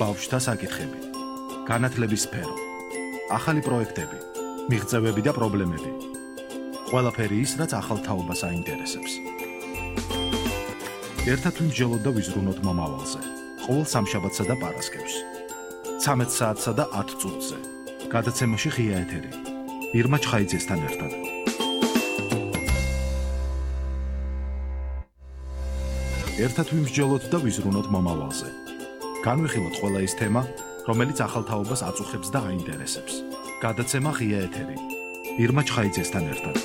ბავშვთა საკითხები, განათლების სფერო, ახალი პროექტები, მიღწევები და პრობლემები. ყველაფერი ის, რაც ახალ თაობას აინტერესებს. ერთად ვიმსჯელოთ და ვიზრუნოთ მომავალზე. ყოველ სამშაბათსა და პარასკევს. 13 საათსა და 10 წუთზე. გადაცემაში ღია ეთერი. ირმა ჩხაიძესთან ერთად. ერთად ვიმსჯელოთ და ვიზრუნოთ მომავალზე. განვიხილოთ ყველა ის თემა, რომელიც ახალ თაობას აწუხებს და აინტერესებს. გადაცემა ღია ეთერი. ირმა ჩხაიძესთან ერთად.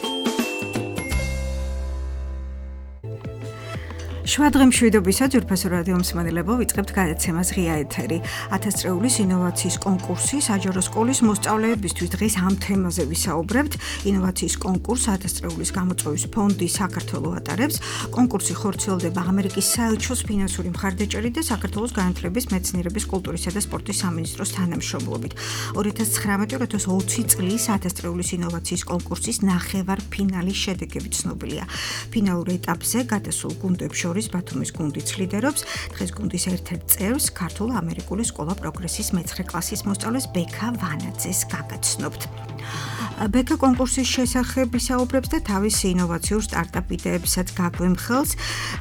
შვადღე მშვიდობისა ძვირფასო რადიო მსმენელებო, ვიწყებთ გადაცემას ღია ეთერი. 1000 წრეულის ინოვაციის კონკურსი საჯარო სკოლის მოსწავლეებისთვის. დღეს ამ თემაზე ვისაუბრებთ. ინოვაციის კონკურს 1000 წრეულის გამოწვევის ფონდი საქართველოს ატარებს. კონკურსი ხორციელდება ამერიკის საელჩოს ფინანსური მხარდაჭერით და საქართველოს განათლების, მეცნიერების, კულტურისა და სპორტის სამინისტროს თანამშრომლობით. 2019-2020 წლის 1000 წრეულის ინოვაციის კონკურსის ნახევარფინალის შედეგები ცნობილია. ფინალურ ეტაპზე გადასულ გუნდებს შორის ბათუმის გუნდიც ლიდერობს. დღეს გუნდის ერთ-ერთ წევრს ქართულ-ამერიკული სკოლა პროგრესის მე-9 კლასის მოსწავლეს ბექა ვანაძეს გაგაცნობთ. ბექა კონკურსის შესახებ ვისაუბრებს და თავის ინოვაციურ სტარტაპ იდეებსაც გაგვემხელს.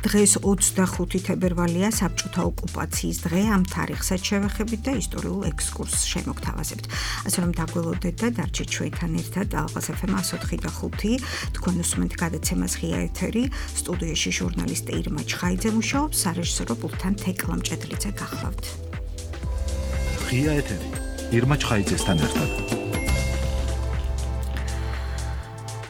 დღეს 25 თებერვალია, საბჭოთა ოკუპაციის დღე. ამ თარიღსაც შევეხებით და ისტორიულ ექსკურსს შემოგთავაზებთ. ასე რომ დაგველოდეთ და დარჩეთ ჩვენთან ერთად. ალყას FM 104.5. თქვენ უსმენთ გადაცემას ღია ეთერი. სტუდიაში ჟურნალისტი ირმა ჩხაიძე მუშაობს, სარეჟისორო პულტთან თეკლა მჭედლიძე გახლავთ. ღია ეთერი. ირმა ჩხაიძესთან ერთად.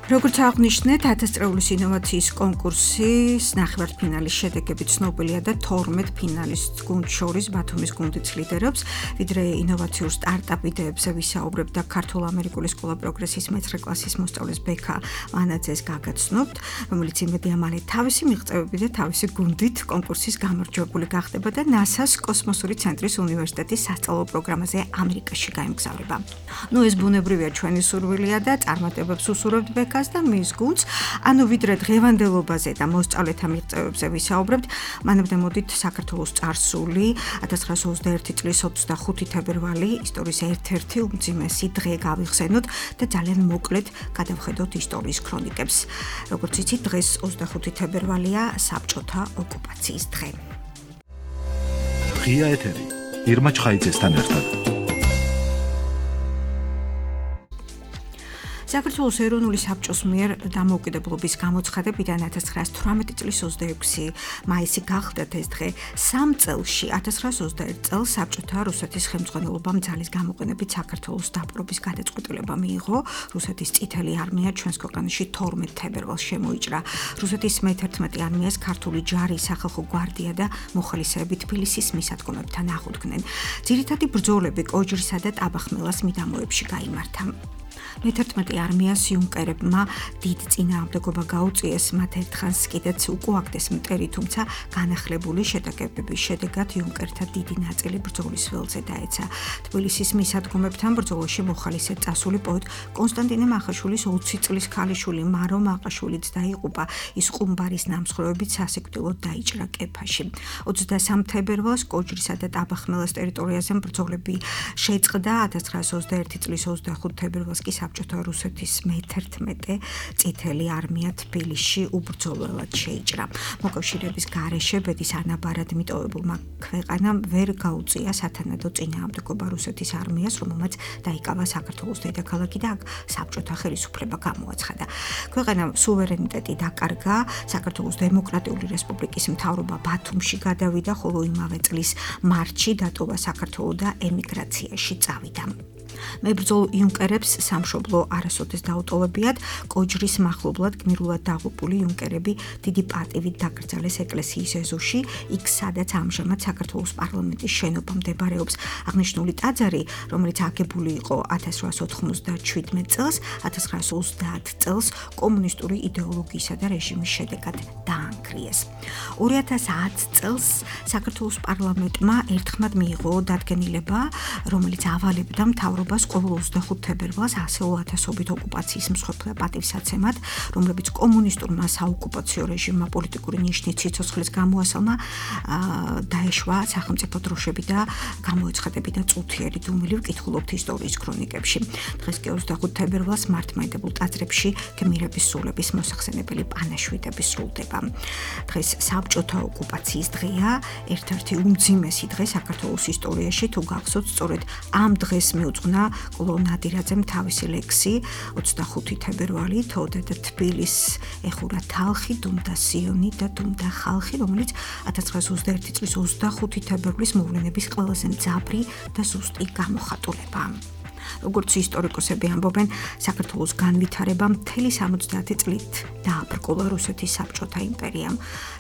როგორც აღნიშნეთ, 1000 წრეულის ინოვაციის კონკურსის ნახევარფინალის შედეგები ცნობილია და 12 ფინალისტ გუნდს შორის ბათუმის გუნდიც ლიდერობს. ვიდრე ინოვაციურ სტარტაპ იდეებზე ვისაუბრებთ და ქართულ-ამერიკული სკოლა პროგრესის მე-9 კლასის მოსწავლეს ბექა ვანაძეს გაგაცნობთ, რომელიც იმედია მალე თავისი მიღწევები და თავისი გუნდით კონკურსის გამარჯვებული გახდება და NASA-ს კოსმოსური ცენტრის უნივერსიტეტის სასწავლო პროგრამაზე ამერიკაში გაემგზავრება. ეს ბუნებრივია ჩვენი სურვილია და წარმატებებს უსურვებთ ბექა და მის გუნდს. ვიდრე დღევანდელობაზე და მოსწავლეთა მიღწევებზე ვისაუბრებთ, მანამდე მოდით საქართველოს წარსული 1921 წლის 25 თებერვალი ისტორიის ერთ-ერთი უმძიმესი დღე გავიხსენოთ და ძალიან მოკლედ გადავხედოთ ისტორიის ქრონიკებს. როგორც იცით, დღეს 25 თებერვალია, საბჭოთა ოკუპაციის დღე. ღია ეთერი. ირმა ჩხაიძესთან ერთად. საქართველოს ეროვნული საბჭოს მიერ დამოუკიდებლობის გამოცხადებიდან 1918 წლის 26 მაისი გახლდათ ეს დღე. 3 წელში 1921 წელს საბჭოთა რუსეთის ხელმძღვანელობამ ძალის გამოყენებით საქართველოს დაპყრობის გადაწყვეტილება მიიღო. რუსეთის წითელი არმია ჩვენს ქვეყანაში 12 თებერვალს შემოიჭრა. რუსეთის მე-11 არმიას ქართული ჯარი, სახალხო გვარდია და მოხალისეები თბილისის მისადგომებთან აღუდგნენ. ძირითადი ბრძოლები კოჯრისა და ტაბახმელას მიდამოებში გაიმართა. მე-11 არმიას იუნკერებმა დიდ წინააღმდეგობა გაუწიეს, მათ ერთხანს კიდეც უკუაგდეს მტერი, თუმცა განახლებული შეტაკებების შედეგად იუნკერთა დიდი ნაწილი ბრძოლის ველზე დაეცა. თბილისის მისადგომებთან ბრძოლაში მოხალისედ წასული პოეტ კონსტანტინე მახაშვილის 20 წლის ქალიშვილი მარო მაყაშვილიც დაიღუპა. ის ყუმბარის ნამსხვრევებით სასიკვდილოდ დაიჭრა კეფაში. 23 თებერვალს კოჯრისა და ტაბახმელას ტერიტორიაზე ბრძოლები შეწყდა. 1921 წლის 25 თებერვალს კი საბჭოთა რუსეთის მე-11 წითელი არმია თბილისში უბრძოლველად შეიჭრა. მოკავშირეების გარეშე ბედის ანაბარად მიტოვებულმა ქვეყანამ ვერ გაუწია სათანადო წინააღმდეგობა რუსეთის არმიას, რომელმაც დაიკავა საქართველოს დედაქალაქი და აქ საბჭოთა ხელისუფლება გამოაცხადა. ქვეყანამ სუვერენიტეტი დაკარგა, საქართველოს დემოკრატიული რესპუბლიკის მთავრობა ბათუმში გადავიდა, ხოლო იმავე წლის მარტში დატოვა საქართველო და ემიგრაციაში წავიდა. მებრძოლ იუნკერებს სამშობლო არასოდეს დაუტოვებიათ, კოჯრის მახლობლად გმირულად დაღუპული იუნკერები დიდი პატივით დაკრძალეს ეკლესიის ეზოში, იქ სადაც ამჟამად საქართველოს პარლამენტის შენობა მდებარეობს. აღნიშნული ტაძარი, რომელიც აგებული იყო 1897 წელს, 1930 წელს კომუნისტური იდეოლოგიისა და რეჟიმის შედეგად დაანგრიეს. 2010 წელს საქართველოს პარლამენტმა ერთხმად მიიღო დადგენილება, რომელიც ავალებდა მთავრობას მთავრობას ყოველ 25 თებერვალს ასეულ ათასობით ოკუპაციის მსხვერპლთა პატივსაცემად, რომლებიც კომუნისტურმა საოკუპაციო რეჟიმმა პოლიტიკური ნიშნით სიცოცხლის გამოასალმა, დაეშვა სახელმწიფო დროშები და გამოეცხადებინა წუთიერი დუმილი, ვკითხულობთ ისტორიის ქრონიკებში. დღეს კი 25 თებერვალს მართლმადიდებულ ტაძრებში გმირების სულების მოსახსენებელი პანაშვიდები სრულდება. დღეს საბჭოთა ოკუპაციის დღეა, ერთ-ერთი უმძიმესი დღე საქართველოს ისტორიაში, თუ გახსოვთ, სწორედ ამ დღეს მიუძღვნა კვლო ნადირაძემ თავისი ლექსი 25 თებერვალი თოდა და თბილისს ეხურა თალხი, დუმდა სიონი და დუმდა ხალხი, რომელიც 1921 წლის 25 თებერვლის მოვლენების ყველაზე მძაფრი და ზუსტი გამოხატულება. როგორც ისტორიკოსები ამბობენ, საქართველოს განვითარება მთელი 70 წლით დააბრკოლა რუსეთის საბჭოთა იმპერიამ.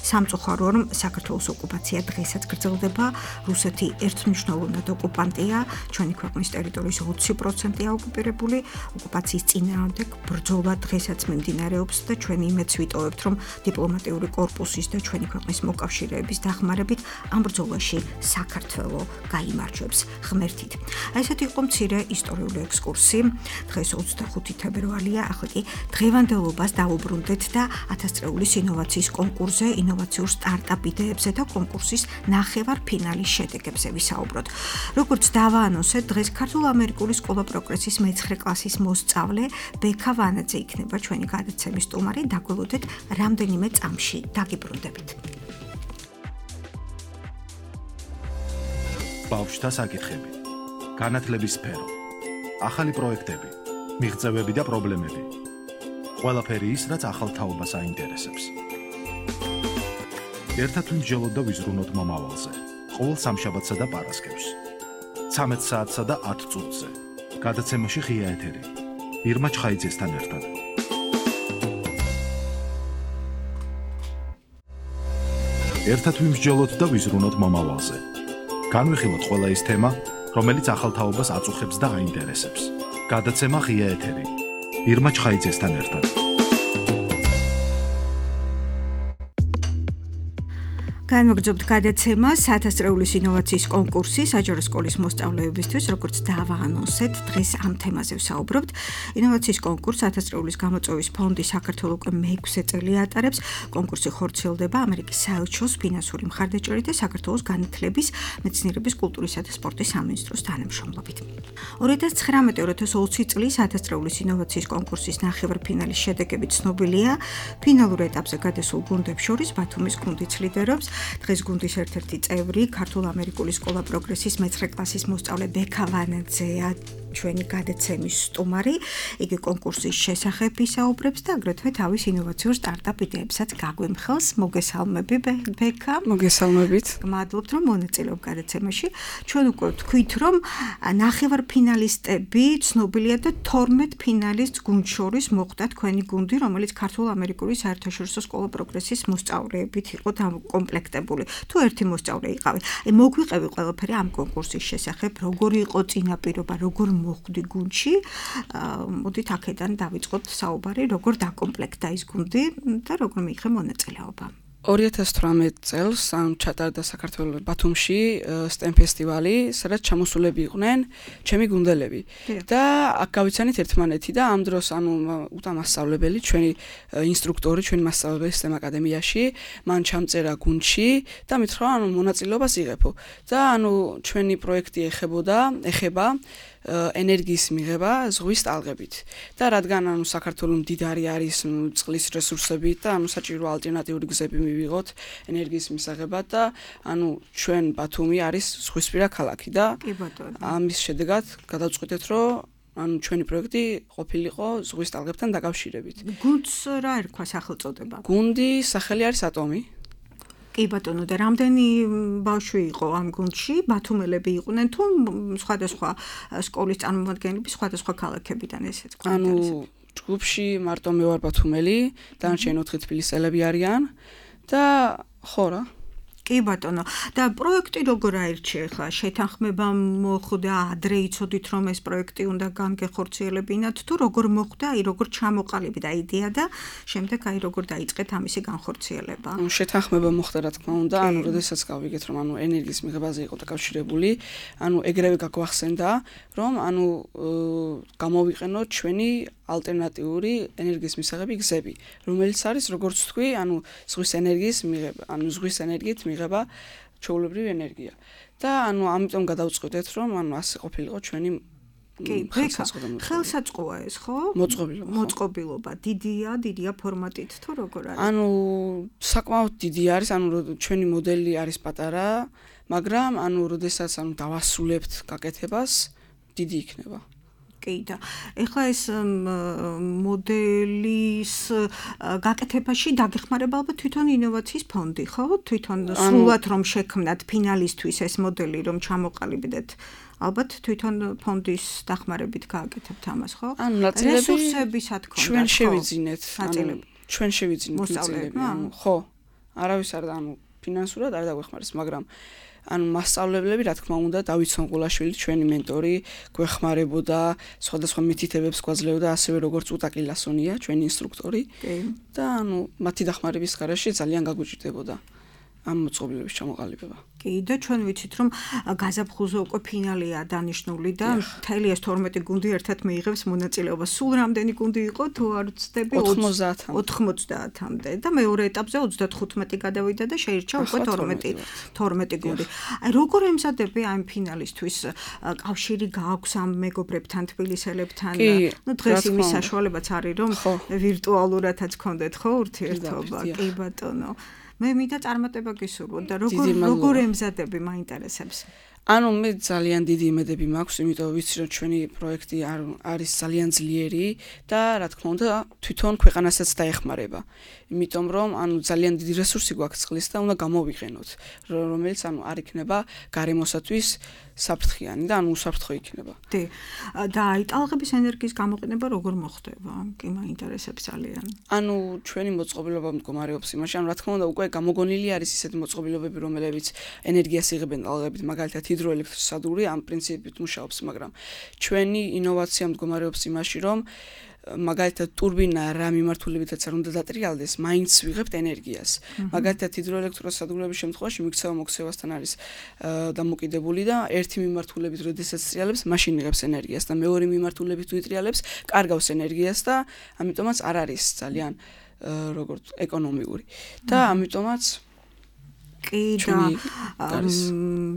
სამწუხარო რომ საქართველოს ოკუპაცია დღესაც გრძელდება, რუსეთი ერთმნიშვნელოვნად ოკუპანტია, ჩვენი ქვეყნის ტერიტორიის 20%-ია ოკუპირებული, ოკუპაციის წინააღმდეგ ბრძოლა დღესაც მიმდინარეობს და ჩვენ იმედს ვიტოვებთ, რომ დიპლომატიური კორპუსის და ჩვენი ქვეყნის მოკავშირეების დახმარებით ამ ბრძოლაში საქართველო გაიმარჯვებს ღმერთით. ესეთი იყო მცირე ისტორიული ექსკურსი. დღეს 25 თებერვალია, ახლა კი დღევანდელობას დავუბრუნდეთ და 1000 წრეულის ინოვაციის კონკურსზე, ინოვაციურ სტარტაპ იდეებზე და კონკურსის ნახევარფინალის შედეგებზე ვისაუბროთ. როგორც დავაანონსეთ, დღეს ქართულ-ამერიკული სკოლა პროგრესის მე-9 კლასის მოსწავლე ბექა ვანაძე იქნება ჩვენი გადაცემის სტუმარი. დაგველოდეთ რამდენიმე წამში. დაგიბრუნდებით. ბავშვთა საკითხები, განათლების სფერო, ახალი პროექტები, მიღწევები და პრობლემები. ყველაფერი ის, რაც ახალ თაობას აინტერესებს. ერთად ვიმსჯელოთ და ვიზრუნოთ მომავალზე. ყოველ სამშაბათსა და პარასკევს. 13 საათსა და 10 წუთზე. გადაცემაში ღია ეთერი. ირმა ჩხაიძესთან ერთად. ერთად ვიმსჯელოთ და ვიზრუნოთ მომავალზე. განვიხილოთ ყველა ის თემა, რომელიც ახალ თაობას აწუხებს და აინტერესებს. გადაცემა ღია ეთერი. ირმა ჩხაიძესთან ერთად. განვაგრძობთ გადაცემას 1000 წრეულის ინოვაციის კონკურსი საჯარო სკოლის მოსწავლეებისთვის, როგორც დავაანონსეთ, დღეს ამ თემაზე ვსაუბრობთ. ინოვაციის კონკურსს 1000 წრეულის გამოწვევის ფონდი საქართველოს უკვე მე-6 წელი ატარებს. კონკურსი ხორციელდება ამერიკის საელჩოს ფინანსური მხარდაჭერით და საქართველოს განათლების, მეცნიერების, კულტურისა და სპორტის სამინისტროს თანამშრომლობით. 2019-2020 წლის 1000 წრეულის ინოვაციის კონკურსის ნახევარფინალის შედეგები ცნობილია. ფინალურ ეტაპზე გადასულ გუნდებს შორის ბათუმის გუნდიც ლიდერობს. დღეს გუნდის ერთ-ერთი წევრი, ქართულ-ამერიკული სკოლა პროგრესის მე-9 კლასის მოსწავლე ბექა ვანაძეა ჩვენი გადაცემის სტუმარი. იგი კონკურსის შესახებ ისაუბრებს და აგრეთვე თავის ინოვაციურ სტარტაპ იდეებსაც გაგვიმხელს. მოგესალმები ბექა. მოგესალმებით. მადლობთ რომ მონაწილეობ გადაცემაში. ჩვენ უკვე ვთქვით რომ ნახევარფინალისტები ცნობილია და 12 ფინალისტს გუნდ შორის მოხვდა თქვენი გუნდი, რომელიც ქართულ-ამერიკული საერთაშორისო სკოლა პროგრესის მოსწავლეებით იყო კომპლექტებული. თუ ერთი მოსწავლე იყავი. მოგვიყევი ყველაფერი ამ კონკურსის შესახებ, როგორი იყო წინაპირობა, როგორ მოხვდი გუნდში. მოდით აქედან დავიწყოთ საუბარი, როგორ დაკომპლექტდა ის გუნდი და როგორ მიიღე მონაწილეობა. 2018 წელს ჩატარდა საქართველოს ბათუმში STEM ფესტივალი, სადაც ჩამოსულები იყვნენ ჩემი გუნდელები. და აქ გავიცანით ერთმანეთი და ამ დროს უტამასწავლებელი, ჩვენი ინსტრუქტორი, ჩვენი მასწავლებელი STEM აკადემიაში, მან ჩამწერა გუნდში და მითხრა მონაწილეობას იღებო. და ჩვენი პროექტი ეხება ენერგიის მიღება ზღვის ტალღებით. და რადგან საქართველოს მდიდარი არის წყლის რესურსებით და საჭირო ალტერნატიული გზები მივიღოთ ენერგიის მისაღებად და ჩვენ ბათუმი არის ზღვისპირა ქალაქი და ამის შედეგად გადავწყვიტეთ რომ ჩვენი პროექტი ყოფილიყო ზღვის ტალღებთან დაკავშირებით. გუნდს რა ერქვა სახელწოდება? გუნდის სახელი არის ატომი. კი ბატონო, და რამდენი ბავშვი იყო ამ გუნდში? ბათუმელები იყვნენ თუ სხვადასხვა სკოლის წარმომადგენლები სხვადასხვა ქალაქებიდან ესეც გვქონდა? ჯგუფში მარტო მე ვარ ბათუმელი, დანარჩენი 4 თბილისელები არიან და ხო რა. კი ბატონო და პროექტი როგორ აირჩიე ხა შეთანხმება მოხდა ადრე იცოდით რომ ეს პროექტი უნდა განგეხორციელებინათ თუ როგორ მოხდა აი როგორ ჩამოყალიბდა იდეა და შემდეგ აი როგორ დაიწყეთ ამისი განხორციელება შეთანხმება მოხდა რა თქმა უნდა ანუ როდესაც გავიგეთ რომ ანუ ენერგიის მიღებაზე იყო დაკავშირებული ანუ ეგრევე გაგვახსენდა რომ ანუ გამოვიყენოთ ჩვენი ალტერნატიული ენერგიის მისაღები გზები რომელიც არის როგორც თქვი ანუ ზღვის ენერგიის მიღება ანუ ზღვის ენერგიით მიღება ჩვეულებრივი ენერგია და ანუ ამიტომ გადავწყვეტეთ რომ ანუ ასე ყოფილიყო ჩვენი ხელსაწყოა ეს ხო? მოწყობილობა დიდია ფორმატით თუ როგორ არის? ანუ საკმაოდ დიდი არის, ანუ ჩვენი მოდელი არის პატარა, მაგრამ ანუ როდესაც ანუ დავასრულებთ გაკეთებას, დიდი იქნება. კი და ეხლა ეს მოდელის გაკეთებაში დაგეხმარება ალბათ თვითონ ინოვაციის ფონდი, ხო? თვითონ სრულად რომ შექმნათ ფინალისტვის ეს მოდელი რომ ჩამოყალიბდეთ ალბათ თვითონ ფონდის დახმარებით გააკეთებთ ამას, ხო? რესურსებისად ქონდათ. ჩვენ შევიძინეთ, ჩვენ შევიძინეთ ნაწილები, ხო. არავის არ ანუ ფინანსურად არ დაგვეხმარეს, მაგრამ ანუ მასწავლებლები, რა თქმა უნდა, დავით სონყულაშვილი, ჩვენი მენტორი, გვეხმარებოდა, სხვადასხვა მითითებებს გვაძლევდა, ასევე როგორც უტაკი ლასონია, ჩვენი ინსტრუქტორი. და ანუ მათი დახმარების გარეშე ძალიან გაგვიჭირდებოდა ამ მოწყობილების ჩამოყალიბება. კი და ჩვენ ვიცით რომ გაზაფხულზე უკვე ფინალია დანიშნული და მთელი ეს 12 გუნდი ერთად მიიღებს მონაწილეობას. სულ რამდენი გუნდი იყო თუ არ ვცდები 90-მდე და მეორე ეტაპზე 35 გადავიდა და შეირჩა უკვე 12 გუნდი. აი როგორ ემზადები ამ ფინალისტვის კავშირი გააქვს ამ მეგობრებთან თბილისელებთან? ნუ დღეს იმის საშუალებაც არის რომ ვირტუალურადაც გქონდეთ ხო ურთიერთობა? კი ბატონო. მე მინდა წარმატება გისურვოთ და როგორ ემზადები მაინტერესებს. ანუ მე ძალიან დიდი იმედები მაქვს, იმიტომ ვიცი რომ ჩვენი პროექტი არის ძალიან ძლიერი და რა თქმა უნდა თვითონ ქვეყანასაც დაეხმარება. იმიტომ რომ ანუ ძალიან დიდი რესურსი გვაქვს წყლის და უნდა გამოვიყენოთ, რომელიც ანუ არ იქნება გარემოსათვის საფრთხიანი და ანუ უსაფრთხო იქნება. დი. და აი ტალღების ენერგიის გამოყენება როგორ მოხდება? კი მაინტერესებს ძალიან. ანუ ჩვენი მოწყობილობა მდგომარეობს იმაში, ანუ რა თქმა უნდა უკვე გამოგონილი არის ისეთი მოწყობილობები, რომელებიც ენერგიას იღებენ ტალღებით, მაგალითად ჰიდროელექტროსადგური ამ პრინციპით მუშაობს, მაგრამ ჩვენი ინოვაცია მდგომარეობს იმაში, რომ მაგალითად ტურბინა რა მიმართულებითაც არ უნდა დატრიალდეს, მაინც ვიღებთ ენერგიას. მაგალითად ჰიდროელექტროსადგურების შემთხვევაში მიქცევა-მოქცევასთან არის დამოკიდებული და ერთი მიმართულებით როდესაც ტრიალებს, მაშინ იღებს ენერგიას და მეორე მიმართულებით თუ იტრიალებს, კარგავს ენერგიას და ამიტომაც არ არის ძალიან როგორც ეკონომიური. და ამიტომაც კი და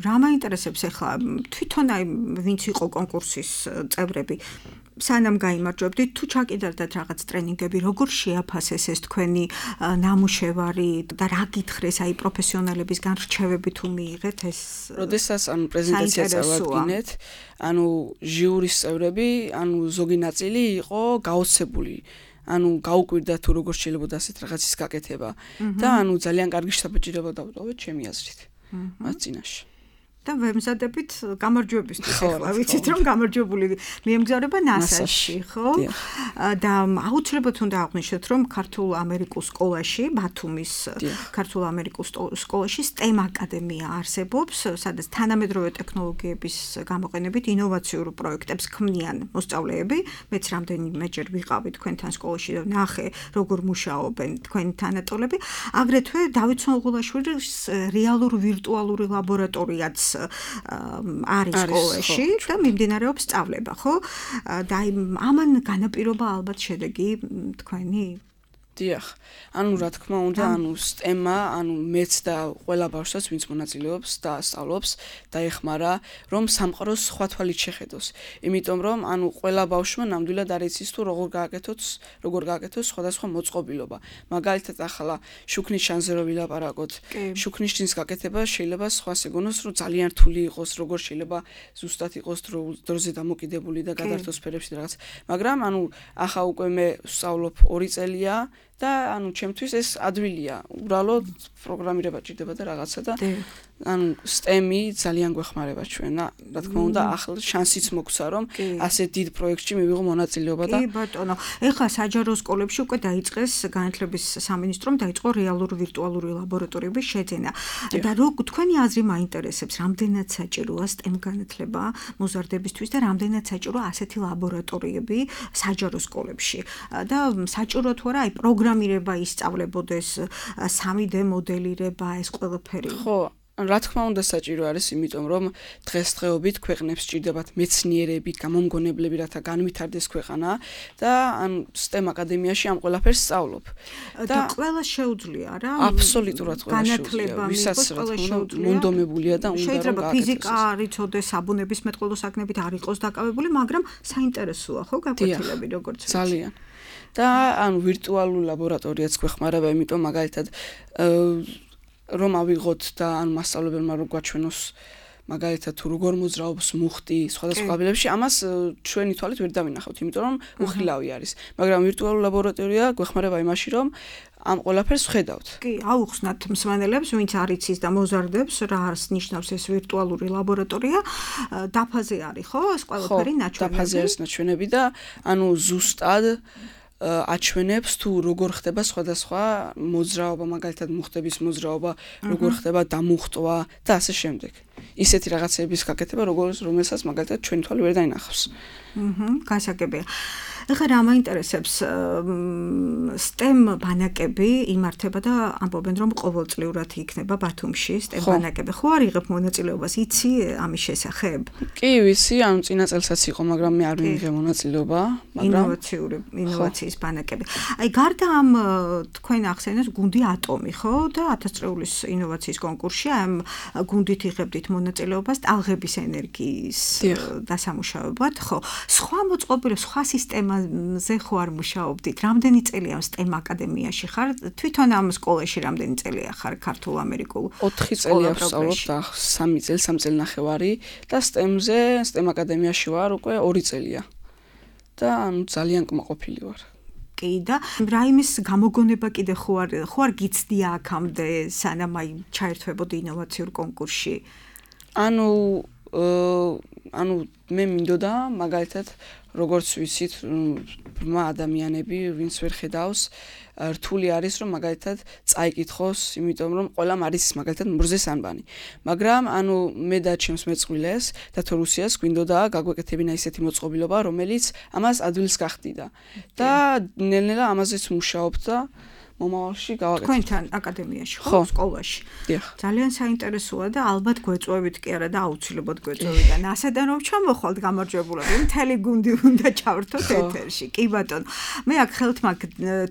რა მაინტერესებს ახლა თვითონ აი ვინც იყო კონკურსის წევრები სანამ გაიმარჯვებდით თუ ჩაკიდარდათ რაღაც ტრენინგები როგორ შეაფასეს ეს თქვენი ნამუშევარი და რა გითხრეს აი პროფესიონალებისგან რჩევები თუ მიიღეთ ეს როდესაც ანუ პრეზენტაციას წავადგინეთ ანუ ჟიურის წევრები ანუ ზოგი ნაწილი იყო გაოცებული ანუ გაუკვირდა თუ როგორ შეიძლება ასეთ რაღაცის გაკეთება და ანუ ძალიან კარგი შთაბეჭდილება დავტოვეთ ჩემი აზრით მათ წინაშე და ვემზადებით გამარჯვებისთვის ახლა ვიცით რომ გამარჯვებული მიემგზავრება NASA-ში ხო და აუცილებლად უნდა აღვნიშნოთ რომ ქართულ-ამერიკულ სკოლაში ბათუმის ქართულ-ამერიკულ სკოლაში STEM აკადემია არსებობს სადაც თანამედროვე ტექნოლოგიების გამოყენებით ინოვაციურ პროექტებს ქმნიან მოსწავლეები მეც რამდენიმეჯერ ვიყავი თქვენთან სკოლაში და ნახე როგორ მუშაობენ თქვენი თანატოლები აგრეთვე დავით სონღულაშვილის რეალურ ვირტუალური ლაბორატორიაც არის სკოლაში და მიმდინარეობს სწავლება, ხო? და ამან განაპირობა ალბათ შედეგი თქვენი დიახ. ანუ რა თქმა უნდა, ანუ STEM-ა, ანუ მეც და ყველა ბავშვს ვინც მონაწილეობს და სწავლობს, დაეხმარა, რომ სამყაროს სხვა თვალით შეხედოს. იმიტომ რომ ანუ ყველა ბავშვმა ნამდვილად არ იცის თუ როგორ გააკეთოს სხვადასხვა მოწყობილობა. მაგალითად ახლა შუქნის შანზე რო ვილაპარაკოთ, შუქნის შნის გაკეთება შეიძლება სხვას ეგონოს, რომ ძალიან რთული იყოს, როგორ შეიძლება ზუსტად იყოს დროზე დამოკიდებული და გადართოს სფერებში რაღაც. მაგრამ ანუ ახლა უკვე მე ვსწავლობ 2 წელია და ანუ ჩემთვის ეს ადვილია. უბრალოდ პროგრამირება ჭირდება და რაღაცა და ანუ STEM-ი ძალიან გვეხმარება ჩვენ. რა თქმა უნდა, ახლა შანსიც მოგვცა, რომ ასე დიდ პროექტში მივიღო მონაწილეობა და კი ბატონო. ეხლა საჯარო სკოლებში უკვე დაიწყეს განათლების სამინისტრომ დაიწყო რეალური ვირტუალური ლაბორატორიების შეძენა. და თქვენი აზრი მაინტერესებს, რამდენად საჭიროა STEM განათლება მოზარდებისთვის და რამდენად საჭიროა ასეთი ლაბორატორიები საჯარო სკოლებში. და საჭირო თუ არა, პროგრამირება ისწავლებოდეს, 3D მოდელირება, ეს ყველაფერი. ხო, რა თქმა უნდა საჭირო არის, იმიტომ რომ დღესდღეობით ქვეყნებს სჭირდებათ მეცნიერები, გამომგონებლები, რათა განვითარდეს ქვეყანა და ან STEM აკადემიაში ამ ყველაფერს სწავლობ. და ყველა შეუძლია რა? აბსოლუტურად ყველა განათლება ვისაც ყველა შეუძლია. მონდომებულია და უნდა რომ შეიძლება ფიზიკა არ იცოდეს, საბუნების მეტყველო საქმეებით არ იყოს დაკავებული, მაგრამ საინტერესოა ხო გაკვეთილები როგორც ვიცი. ძალიან. და ანუ ვირტუალურ ლაბორატორიაც გვეხმარება, იმიტომ მაგალითად რომ ავიღოთ და ან მასწავლებელმა რო გვაჩვენოს მაგალითად თუ როგორ მოძრაობს მუხტი სხვადასხვა აბილებში, ამას ჩვენი თვალით ვერ დავინახავთ, იმიტომ რომ უხილავი არის. მაგრამ ვირტუალური ლაბორატორია გვეხმარება იმაში, რომ ამ ყველაფერს ვხედავთ. კი, აუხსნათ მსმენელებს, ვინც არ იცის და მოზარდებს, რა ნიშნავს ეს ვირტუალური ლაბორატორია, დაფაზე არის ხო? ეს ყველაფერი ნაჩვენები. დაფაზე არის ნაჩვენები და ანუ ზუსტად აჩვენებს თუ როგორ ხდება სხვადასხვა მოძრაობა, მაგალითად მუხტების მოძრაობა, როგორ ხდება დამუხტვა და ასე შემდეგ. ისეთი რაღაცების გაკეთება, რომელსაც მაგალითად ჩვენი თვალი ვერ დაინახავს. გასაგებია. ეხლა რა მაინტერესებს, STEM ბანაკები იმართება და ამბობენ, რომ ყოველწლიურად იქნება ბათუმში STEM ბანაკები. ხო არ იღებ მონაწილეობას, იცი ამის შესახებ? კი, ვიცი, ანუ წინა წელსაც იყო, მაგრამ მე არ მივიღე მონაწილეობა, მაგრამ ინოვაციის ბანაკები. აი, გარდა ამ თქვენ ახსენეთ გუნდი ატომი, ხო? და 1000 წლეულის ინოვაციის კონკურსში ამ გუნდით იღებდით მონაწილეობას ტალღების ენერგიის დასამუშავებლად, ხო? სხვა მოწყობილობ, სხვა სისტემაზე ხო არ მუშაობდით? რამდენი წელია STEM აკადემიაში ხარ? თვითონ ამ სკოლაში რამდენი წელია ხარ ქართულ-ამერიკულ? 4 წელი ვსწავლობ და 3 წელნახევარი და STEM აკადემიაში ვარ უკვე 2 წელია. და ანუ ძალიან კმაყოფილი ვარ. კი და რაიმის გამოგონება კიდე ხო არ გიცდია აქამდე სანამ აი ჩაერთვებოდი ინოვაციურ კონკურსში? ანუ მე მინდოდა მაგალითად როგორც ვიცით ბრმა ადამიანები ვინც ვერ ხედავს რთული არის რომ მაგალითად წაიკითხოს იმიტომ რომ ყველამ არის მაგალითად მურზეს ანბანი მაგრამ ანუ მე და ჩემს მეწყვილეს და თორუსიას გვინდოდა გაგვეკეთებინა ისეთი მოწყობილობა რომელიც ამას ადვილს გახდიდა და ნელ-ნელა ამაზეც მუშაობთ და მომავალში გავაკეთებ. თქვენთან აკადემიაში ხო, სკოლაში. დიახ. ძალიან საინტერესოა და ალბათ გვეწვევით კი არა და აუცილებლად გვეწვევიდან. ასედან რომ ჩამოხვალთ გამარჯვებულები, მთელი გუნდი უნდა ჩავრთოთ ეთერში. კი ბატონო. მე აქ ხელთ მაგ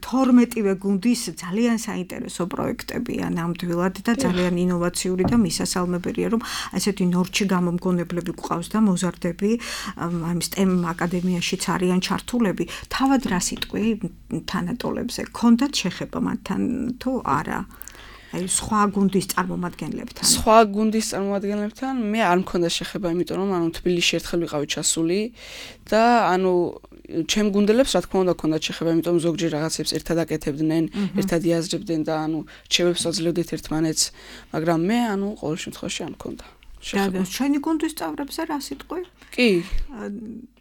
12-ვე გუნდის ძალიან საინტერესო პროექტებია ნამდვილად და ძალიან ინოვაციური და მისასალმებელია რომ ასეთი ნორჩი გამომგონებლები გვყავს და მოზარდები ამ STEM აკადემიაშიც არიან ჩართულები. თავად რა სიტყვი თანატოლებზე გქონდათ შეხება მათთან თუ არა? აი სხვა გუნდის წარმომადგენლებთან. სხვა გუნდის წარმომადგენლებთან მე არ მქონდა შეხება, იმიტომ რომ ანუ თბილისში ერთხელ ვიყავი ჩასული და ანუ ჩემ გუნდელებს რა თქმა უნდა ქონდათ შეხება, იმიტომ რომ ზოგჯერ რაღაცებს ერთად აკეთებდნენ, ერთად იაზრებდნენ და ანუ რჩევებს აძლევდით ერთმანეთს, მაგრამ მე ანუ ყოველ შემთხვევაში არ მქონდა. და ჩვენი გუნდის წევრებზე რა სიტყვი? კი.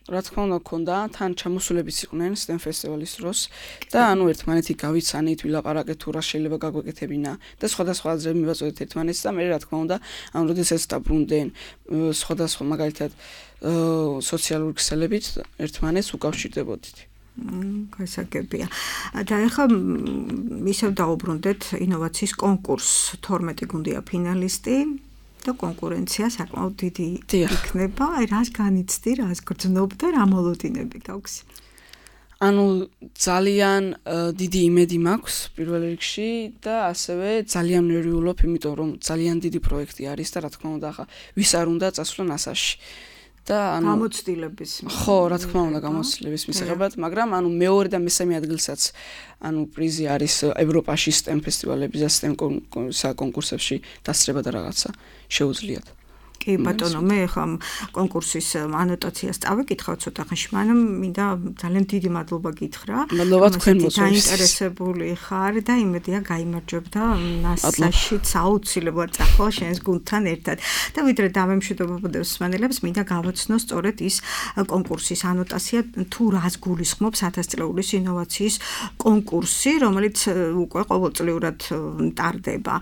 რა თქმა უნდა ქონდა, თან ჩამოსულებიც იყვნენ STEM ფესტივალის დროს და ანუ ერთმანეთი გავიცანით, ვილაპარაკეთ თუ რა შეიძლება გაგვეკეთებინა და სხვადასხვა აზრები მივაწოდეთ ერთმანეთს და მე რა თქმა უნდა, ანუ როდესაც დაბრუნდნენ სხვადასხვა მაგალითად სოციალური ქსელებით ერთმანეთს უკავშირდებოდით. გასაგებია. და ახლა ისევ დაუბრუნდეთ ინოვაციის კონკურსს, 12 გუნდია ფინალისტი. და კონკურენცია საკმაოდ დიდი იქნება. აი რას განიცდი, რას გრძნობ და რა მოლოდინები გაქვს? ანუ ძალიან დიდი იმედი მაქვს პირველ რიგში და ასევე ძალიან ნერვიულობ, იმიტომ რომ ძალიან დიდი პროექტი არის და რა თქმა უნდა ახლა ვის არ უნდა წასვლა NASA-ში. და ანუ გამოცდილების ხო, რა თქმა უნდა გამოცდილების მისაღებად, მაგრამ ანუ მეორე და მესამე ადგილსაც ანუ პრიზი არის ევროპაში STEM ფესტივალების და STEM კონკურსებში დასწრება და რაღაცა შეუძლიათ. კი ბატონო, მე ახლა კონკურსის ანოტაციას წავიკითხავ ცოტა ხანში, მაგრამ მინდა ძალიან დიდი მადლობა გითხრა. მადლობა თქვენ მოწვევს. დაინტერესებული ხარ და იმედია გაიმარჯვებდა NASA-შიც აუცილებლად წახვალ შენს გუნდთან ერთად. და ვიდრე დამემშვიდობებოდებს მსმენელებს, მინდა გავაცნო სწორედ ის კონკურსის ანოტაცია თუ რას გულისხმობს 1000 წლეულის ინოვაციის კონკურსი, რომელიც უკვე ყოველწლიურად ტარდება.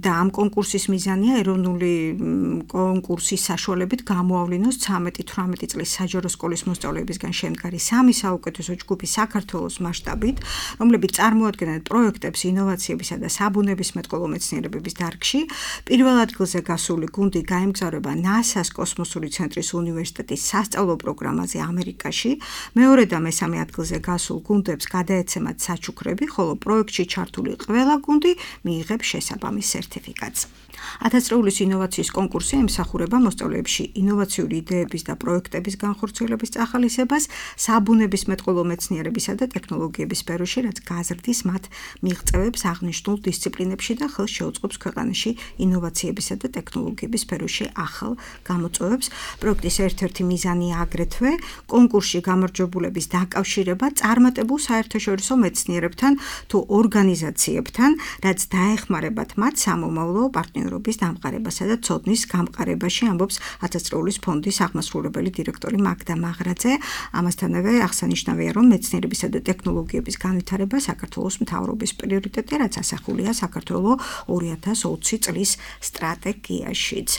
და ამ კონკურსის მიზანია ეროვნული კონკურსის საშუალებით გამოავლინოს 13-18 წლის საჯარო სკოლის მოსწავლეებისგან შემდგარი 3 საუკეთესო ჯგუფი საქართველოს მასშტაბით, რომლებიც წარმოადგენენ პროექტებს ინოვაციებისა და საბუნებისმეტყველო მეცნიერებების დარგში. პირველ ადგილზე გასული გუნდი გაემგზავრება NASA-ს კოსმოსური ცენტრის უნივერსიტეტის სასწავლო პროგრამაზე ამერიკაში. მეორე და მესამე ადგილზე გასულ გუნდებს გადაეცემათ საჩუქრები, ხოლო პროექტში ჩართული ყველა გუნდი მიიღებს შესაბამის სერტიფიკატს. 1000 წლეულის ინოვაციის კონკურსი ემსახურება მოსწავლეებში ინოვაციური იდეების და პროექტების განხორციელების წახალისებას საბუნებისმეტყველო მეცნიერებისა და ტექნოლოგიების სფეროში, რაც გაზრდის მათ მიღწევებს აღნიშნულ დისციპლინებში და ხელს შეუწყობს ქვეყანაში ინოვაციებისა და ტექნოლოგიების სფეროში ახალ გამოწვევებს. პროექტის ერთ-ერთი მიზანია აგრეთვე კონკურსში გამარჯვებულების დაკავშირება წარმატებულ საერთაშორისო მეცნიერებთან თუ ორგანიზაციებთან, რაც დაეხმარებათ მათ სამომავლო პარტნიორობის დამყარებასა და ცოდნის გამყარებაში, ამბობს 1000 წლეულის ფონდის აღმასრულებელი დირექტორი მაგდა მაღრაძე. ამასთანავე აღსანიშნავია, რომ მეცნიერებისა და ტექნოლოგიების განვითარება საქართველოს მთავრობის პრიორიტეტია, რაც ასახულია საქართველოს 2020 წლის სტრატეგიაშიც.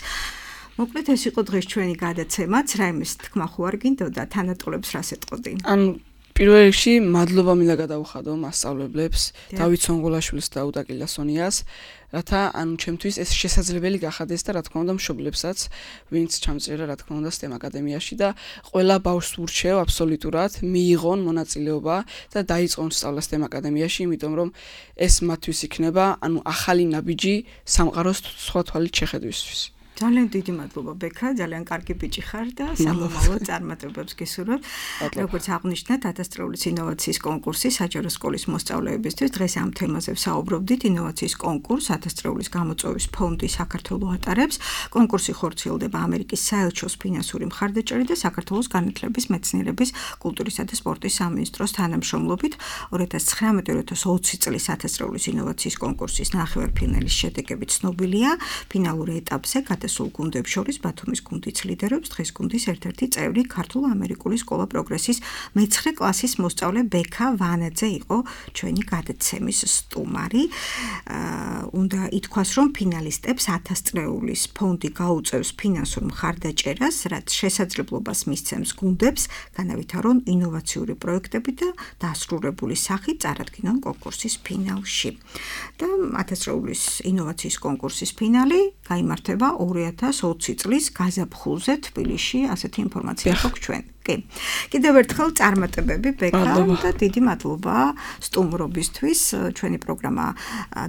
მოკლედ ეს იყო დღეს ჩვენი გადაცემაც, რაიმეს თქმა ხო არ გინდოდა თანატოლებს რას ეტყოდი? პირველ რიგში მადლობა მინდა გადავუხადო მასწავლებლებს, დავით სონგოლაშვილს და უტა კილასონიას, რათა ჩემთვის ეს შესაძლებელი გახადეს და რა თქმა უნდა მშობლებსაც, ვინც ჩამწერა რა თქმა უნდა STEM აკადემიაში და ყველა ბავშვს ვურჩევ აბსოლუტურად მიიღონ მონაწილეობა და დაიწყონ სწავლა STEM აკადემიაში, იმიტომ რომ ეს მათთვის იქნება ახალი ნაბიჯი სამყაროს სხვა თვალით შეხედვისთვის. ძალიან დიდი მადლობა ბექა, ძალიან კარგი ბიჭი ხარ და სამომავლო წარმატებებს გისურვებ. როგორც აღნიშნეთ, 1000 წლეულის ინოვაციის კონკურსი საჯარო სკოლის მოსწავლეებისთვის. დღეს ამ თემაზე ვსაუბრობდით. ინოვაციის კონკურს 1000 წლეულის გამოწვევის ფონდი საქართველოს ატარებს. კონკურსი ხორციელდება ამერიკის საელჩოს ფინანსური მხარდაჭერით და საქართველოს განათლების, მეცნიერების, კულტურისა და სპორტის სამინისტროს თანამშრომლობით. 2019-2020 წლის 1000 წლეულის ინოვაციის კონკურსის ნახევარფინალის შედეგები ცნობილია. ფინალურ ეტაპზე სულ გუნდებს შორის ბათუმის გუნდიც ლიდერობს. დღეს გუნდის ერთ-ერთი წევრი ქართულ-ამერიკული სკოლა პროგრესის მე-9 კლასის მოსწავლე ბექა ვანაძე იყო ჩვენი გადაცემის სტუმარი. უნდა ითქვას, რომ ფინალისტებს 1000 წლეულის ფონდი გაუწევს ფინანსურ მხარდაჭერას, რაც შესაძლებლობას მისცემს გუნდებს განავითარონ ინოვაციური პროექტები და დასრულებული სახით წარადგინონ კონკურსის ფინალში. და 1000 წლეულის ინოვაციის კონკურსის ფინალი გაიმართება 2020 წლის გაზაფხულზე თბილისში, ასეთი ინფორმაცია გვაქვს ჩვენ. კიდევ ერთხელ წარმატებები ბექა და დიდი მადლობა სტუმრობისთვის. ჩვენი პროგრამა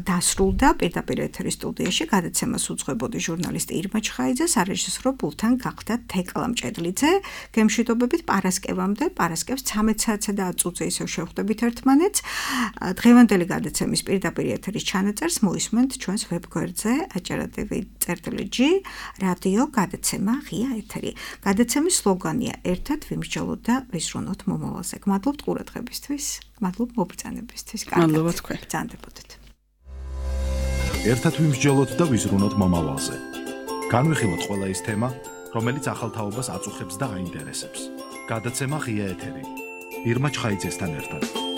დასრულდა. პირდაპირ ეთერის სტუდიაში გადაცემას უძღვებოდი ჟურნალისტი ირმა ჩხაიძე, სარეჟისორო პულტთან გახდა თეკლა მჭედლიძე. გემშვიდობებით პარასკევამდე, პარასკევს 13 საათსა და 10 წუთზე ისევ შევხვდებით ერთმანეთს. დღევანდელი გადაცემის პირდაპირ ეთერის ჩანაწერს მოისმენთ ჩვენს ვებგვერდზე acerra.tv/g რადიო გადაცემა ღია ეთერი. გადაცემის სლოგანია ერთად ვიმსჯელოთ და ვისრუნოთ მომავალზე. გმადლობთ ყურადღებისთვის, გმადლობთ მობრძანებისთვის. მადლობა თქვენ. ბრძანდებოდეთ. ერთად ვიმსჯელოთ და ვისრუნოთ მომავალზე. განვიხილოთ ყველა ის თემა, რომელიც ახალ თაობას აწუხებს და აინტერესებს. გადაცემა ღია ეთერი. ირმა ჩხაიძესთან ერთად.